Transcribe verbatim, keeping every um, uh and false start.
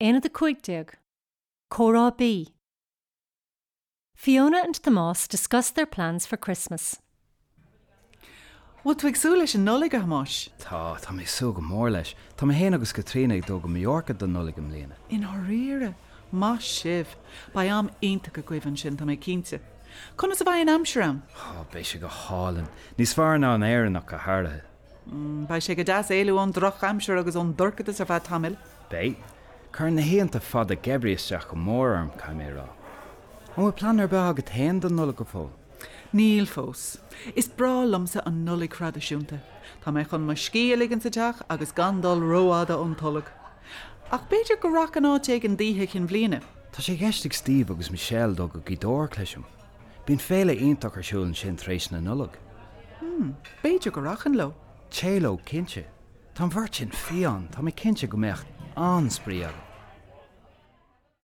Aonad a cúig déag. Comhrá B. Fiona and Tomás discuss their plans for Christmas. Bhfuil tú ag súil leis an Nollaig a Thomáis? Tá tá mé ag súil go mór leis, Tá mé féin agus Caitríona ag dul go Mallorca don Nollaig i mbliana. I ndáiríre, maith sibh, beidh am iontach agaibh ansin tá mé cinnte. Conas a bheidh an aimsir ann? Ó beidh sé go hálainn, níos fearr ná in Éirinn ach go háirithe. Mm, beidh sé go deas éalú ón drochaimsir agus ón dorchadas ar feadh tamaill. Beidh, Cuireann na hoícheanta fada geimhridh isteach go mór orm caithfidh mé a rá. An bhfuil plean ar bith agat féin don Nollaig go fóill? Níl fós. Is breá liomsa an Nollaig thraidisiúnta. Tá mé chun mo scíth a ligean sa teach agus gan dul rófhada ón tolg. Ach b'fhéidir go rachainn áit éigin d'oíche chinn bhliana. Tá sé i gceist ag Steve agus Michelle dul go Gaoth Dobhair cloisim. Bíonn féile iontach ar siúl ansin tar éis na Nollag. Hmm, b'fhéidir go rachainn leo. Téigh leo cinnte. Tá an bheirt sin fiáin, tá mé cinnte go mbeadh an-spraoi agaibh.